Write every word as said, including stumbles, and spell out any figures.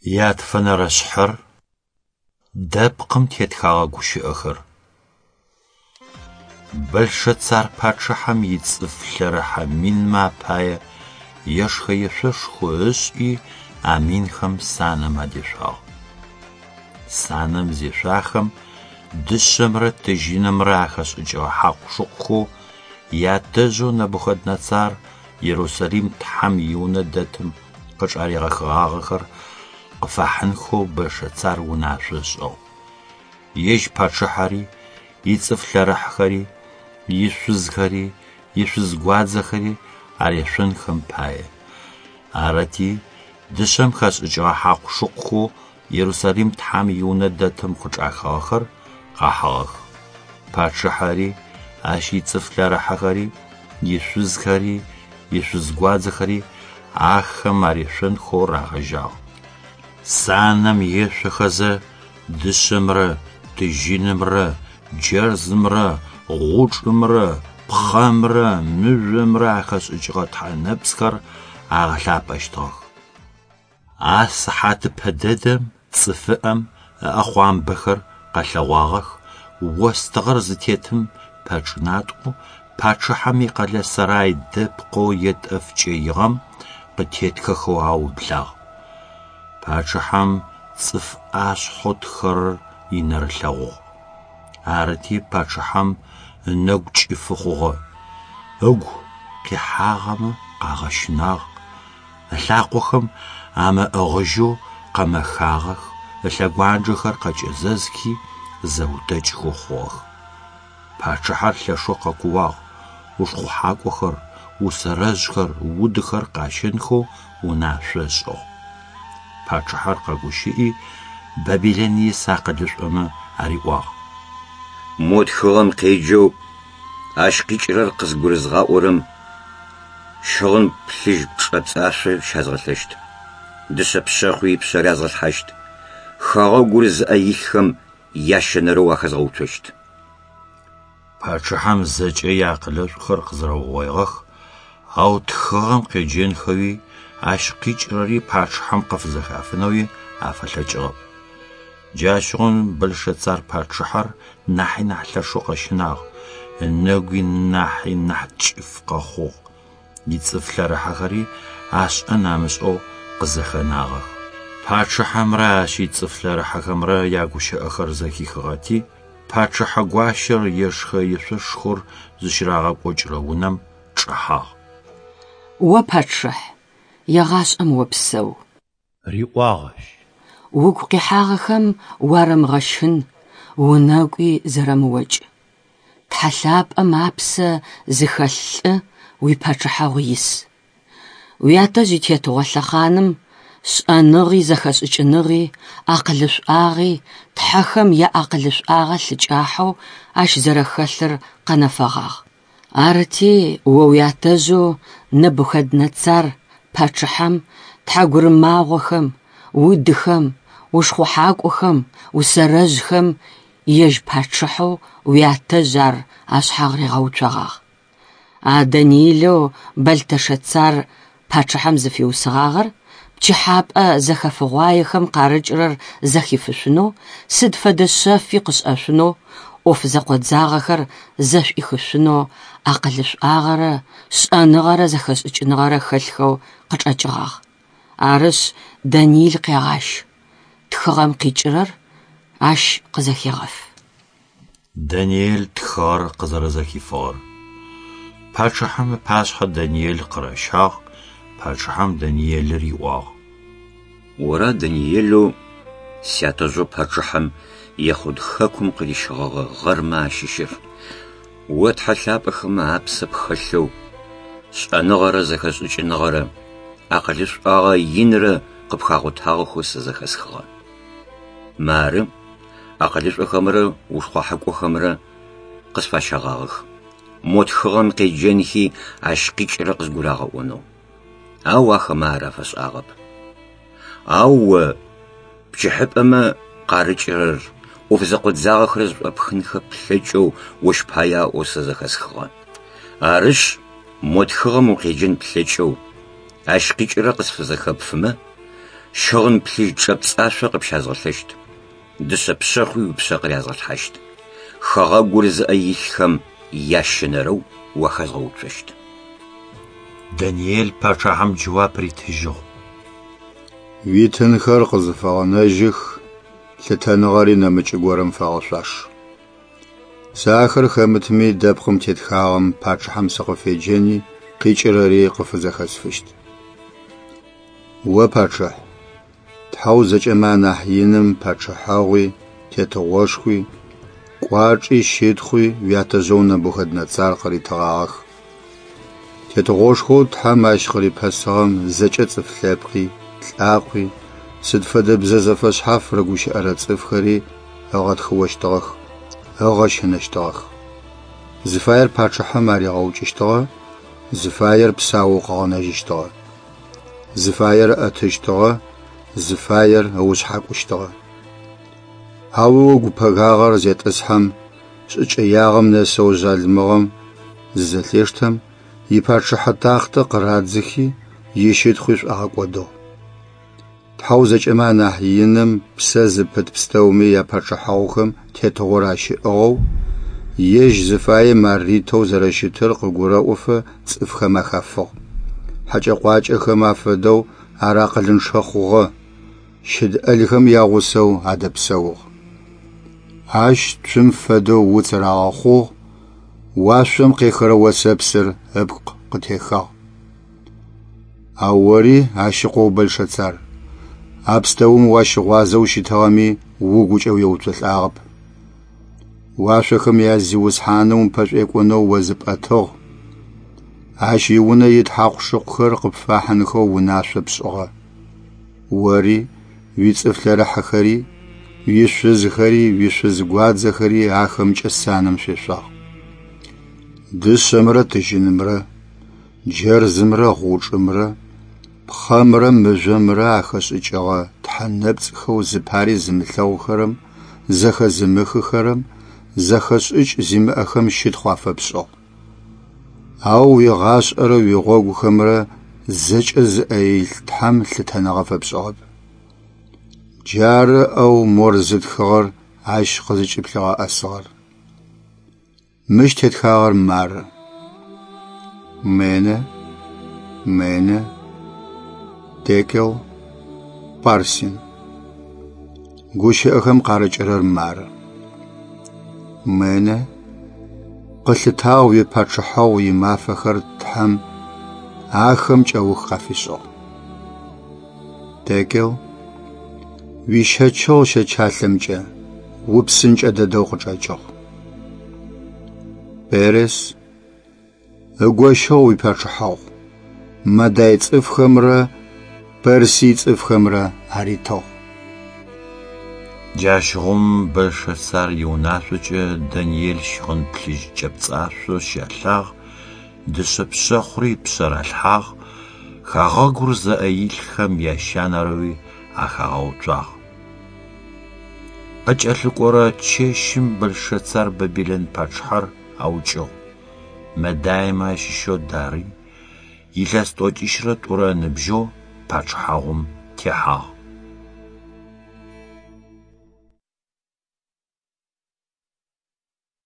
Ятфэнэрэ шъхьэр дэпкъым тетхэгъэ гущыӏэхэр. Бэлшэцар пачъыхьэм ицӏыф лъэрыхьэ минмэ апае ешхэ-ешъошхо ышӏи а минхэм санэм адешъуагъ. Санэм зешъуахэм дышъэмрэ тыжьынымрэ ахэшӏыкӏыгъэ хьакъу-шыкъухэу ятэжъэу Нэбухэднэцар Ерусалим Тхьэм и Унэ дэтым къычӏаригъэхыгъагъэхэр къыфахьынхэу Бэлшэцар унашъо ышӏыгъ. Ежь пачъыхьэри, ицӏыф лъэрыхьхэри, ишъузхэри, ишъузгуадзэхэри арешъонхэм пае. Арыти, дышъэм хэшӏыкӏыгъэ хьакъу-шыкъухэу Ерусалим Тхьэм и Унэ дэтым къычӏахыгъэхэр къахьыгъэх. Пачъыхьэри, ащ ицӏыф лъэрыхьэхэри, ишъузхэри, ишъузгуадзэхэри ахэм арешъонхэу рагъэжьагъ. Санэм ешъохэзэ дышъэмрэ тыжьынымрэ джэрзымрэ гъучӏымрэ пхъэмрэ мыжъомрэ ахэшӏыкӏыгъэ тхьэ нэпцӏхэр агъэлъапӏэщтыгъэх. А сыхьатыпэ дэдэм цӏыфыӏэм ыӏэхъуамбэхэр къэлъэгъуагъэх, остыгъэр зытетым пэчӏынатӏэу пачъыхьэм икъэлэ сэрай дэпкъэу етӏэф кӏэигъэм къытетхэхэу аублагъ. Пачъыхьэм цӏыф ӏашъхьэу тхэрэр инэрылъэгъугъ. Арыти пачъыхьэм ынэгу кӏыфы хъугъэ, ыгу къихьагъэмэ къагъэщынагъ, ылъакъохэм амыӏыгъыжьэу къэмэхагъэх, ылъэгуанджэхэр къэкӏэзэзхи зэутэкӏхэу хъугъэх. Пачъыхьэр лъэшэу къэкууагъ, ушхъухьакӏохэр, усэрэжъхэр, удыхэр къащэнхэу унашъо ышӏыгъ. Пачъыхьэр къэгущыӏи Бабилэн ис акъылышӏомэ ариӏуагъ: Мо тхыгъэм къеджэу ащ къикӏырэр къызгурызгъаӏорэм щыгъын плъыжь чӏэпцӏашъо щязгъэлъэщт, дышъэ пшъэхъуи ыпшъэ рязгъэлъхьащт, хэгъэгур зыӏэ илъхэм ящэнэрэу ахэзгъэуцощт. Пачъыхьэм зэкӏэ иакъылышӏухэр къызэрэугъоигъэх, ау тхыгъэм къеджэнхэуи ащ къикӏырэри пачъыхьэм къыфызэхафынэуи афэлъэкӏыгъэп. Джащыгъум Бэлшэцар пачъыхьэр нахьи нахь лъэшэу къэщынагъ, ынэгуи нахьи нахь кӏыф къэхъугъ, ицӏыф лъэрыхьэхэри ашӏэн амышӏэу къызэхэнагъэх. Пачъыхьэмрэ ащ ицӏыф лъэрыхьэхэмрэ ягущыӏэхэр зэхихыгъэти, пачъыхьэ гуащэр ешхэ-ешъошхор зыщырагъэкӏокӏырэ унэм чӏэхьагъ. О пачъыхь, егъашӏэм опсэу. Риӏуагъ ащ. Угу къихьагъэхэм уарэмыгъэщын, унэгуи зэрэмыокӏ. Тхьэ лъапӏэм апсэ зыхэлъ лӏы уипачъыхьагъу ис. Уятэжъ итетыгъо лъэхъаным шӏэныгъи зэхэшӏыкӏыныгъи, акъылышӏуагъи, тхьэхэм яакъылышӏуагъэ лъыкӏахьэу ащ зэрэхэлъыр къэнэфэгъагъ. Арыти, о уятэжъэу Нэбухэднэцар пачъыхьэм тхьэгурымагъохэм, удыхэм, ушхъухьакӏохэм, усэрэжъхэм ежь пачъыхьэу уятэжъ ар ашъхьагъ ригъэуцогъагъ. А Даниилэу Бэлтэшэцар пачъыхьэм зыфиусыгъагъэр пчыхьапӏэ зэхэфыгъуаехэм къарыкӏырэр зэхифышъунэу, сыд фэдэ шъэфи къышӏэшъунэу, ӏоф зэкъодзагъэхэр зэшӏуихышъунэу акъылышӏуагъэрэ шӏэныгъэрэ зэхэшӏыкӏыныгъэрэ хэлъхэу къычӏэкӏыгъагъ. Арышъ, Даниил къегъащ, тхыгъэм къикӏырэр ащ къызэхегъэф. Даниэл тхыгъэр къызэрэзэхифыгъэр. Пачъыхьэм ыпашъхьэ Даниэл къыращагъ, пачъыхьэм Даниел риӏуагъ: Ора Даниелэу сятэжъэу пачъыхьэм Ехъуд хэкум къырищыгъэгъэ гъэрмэ ащыщыр. О тхьэ лъапӏэхэмэ апсэ пхэлъэу, шӏэныгъэрэ зэхэшӏыкӏыныгъэрэ, акъылышӏуагъэ инрэ къыпхагъотагъэхэу сэ зэхэсхыгъэ. Мары акъылышӏохэмрэ ушхъухьакӏохэмрэ къысфащэгъагъэх. Мо тхыгъэм къеджэнхи ащ къикӏырэр къызгурагъэӏонэу. Ау ахэмэ ар афэшӏагъэп. Ау о пчыхьыпӏэмэ къарыкӏырэр, ӏоф зэкъодзагъэхэр зэшӏопхынхэ плъэкӏэу ощ пае аӏоу сэ зэхэсхыгъэ. Арышъ, мо тхыгъэм укъеджэн плъэкӏэу, ащ къикӏырэр къысфызэхэпфымэ, Щыгъын плъыжь чӏэпцӏашъо къыпщязгъэлъэщт, дышъэ пшъэхъуи ыпшъэ къырязгъэлъхьащт. Хэгъэгур зыӏэ илъхэм ящэнэрэу уахэзгъэуцощт. Даниел пачъыхьэм джэуап ритыжьыгъ. Уитынхэр къызыфэгъэнэжьых, лъытэныгъэри нэмыкӏ горэм фэгъэшъуаш. Сэ ахэр хэмытми дэпкъым тетхагъэм пачъыхьэм сыкъыфеджэни къикӏырэри къыфызэхэсфыщт. О пачъыхь, Тхьэу зэкӏэмэ анахь иным пачъыхьэгъуи, тетыгъошхуи, кӏуачӏи щытхъуи уятэжъэу Нэбухэднэцар къыритыгъагъэх. Тетыгъошхоу Тхьэм ащ къырипэсыгъэм зэкӏэ цӏыф лъэпкъи, лӏакъуи, сыд фэдэ бзэ зэфэшъхьаф рыгущыӏэрэ цӏыфхэри ыгъэтхыощтыгъэх, ыгъэщынэщтыгъэх. Зыфаер пачъыхьэм аригъэукӏыщтыгъэ, зыфаер псаоу къыгъэнэжьыщтыгъэ. Зыфаер ыӏэтыщтыгъэ, зыфаер ыушъхьакӏущтыгъэ. Ау ыгу пэгагъэр зетӏысхьэм, шӏыкӏэягъэм нэсэу жъалымыгъэм зызэлъештэм, ипачъыхьэ тахътэ къырадзыхи, ищытхъуи шӏуагъэкӏодыгъ. Тхьэу зэкӏэмэ анахь иным псэ зыпыт пстэуми япачъыхьэгъухэм тетыгъор ащыӏыгъэу, ежь зыфаем ар ритэу зэрэщытыр къыгурэӏофэ цӏыфхэм ахафыгъ. Хьэкӏэ-къуакӏэхэм афэдэу ар акъылынчъэ хъугъэ, щыд ӏэлхэм ягъусэу адэпсэугъ. Ащ цум фэдэу уц рагъэхъугъ, уашъом къехырэ осэпсыр ыпкъ къытехагъ. Ау ори ащ ыкъоу Бэлшэцар, а пстэум уащыгъуазэу щытыгъэми угукӏэ уеуцолӏагъэп. Уашъохэм я Зиусхьаным упэшӏуекӏонэу о зыпӏэтыгъ. Ащ иунэ ит хьакъу-шыкъухэр къыпфахьынхэу унашъо пшӏыгъэ. Ори, уицӏыф лъэрыхьэхэри, уишъузхэри, уишъуз гуадзэхэри ахэмкӏэ санэм шъуешъуагъ. Дышъэмрэ тыжьынымрэ, джэрзымрэ гъучӏымрэ, пхъэмрэ мыжъомрэ ахэшӏыкӏыгъэ тхьэ нэпцӏхэу зыпари зымылъэгъухэрэм, зэхэзымыхыхэрэм, зэхэшӏыкӏ зимыӏэхэм щытхъу афэпшӏыгъ. Ау уигъашӏэрэ уигъогухэмрэ зэкӏэ зыӏэ илъ Тхьэм лъытэныгъэ фэпшӏыгъэп. Джары ӏэу мор зытхыгъэр ащ къызыкӏыплъигъэӏэсыгъэр. Мыщ тетхагъэр мары: Мене, Мене, Текел, Парсин. Гущыӏэхэм къарыкӏырэр мары: Мене, къылъытагъ уипачъыхьэгъу имафэхэр Тхьэм ахэм кӏэух къафишӏыгъ. Текел, уищэчыгъ щэчалъэмкӏэ, упсынкӏэ дэдэу къычӏэкӏыгъ. Перес, ыгощыгъ уипачъыхьэгъу, Мадай цӏыфхэмрэ Персий цӏыфхэмрэ аритыгъ. Джащыгъум Бэлшэцар иунашъокӏэ Даниел щыгъын плъыжь чӏэпцӏашъо щалъагъ, дышъэ пшъэхъури ыпшъэ ралъхьагъ, хэгъэгур зыӏэ илъхэм ящэнэрэуи ахагъэуцуагъ. Къыкӏэлъыкӏорэ чэщым Бэлшэцар Бабилэн пачъыхьэр аукӏыгъ. Мэдаймэ ащыщэу Дарый илъэс тӏокӏищрэ тӏурэ ыныбжьэу пачъыхьагъум техьагъ.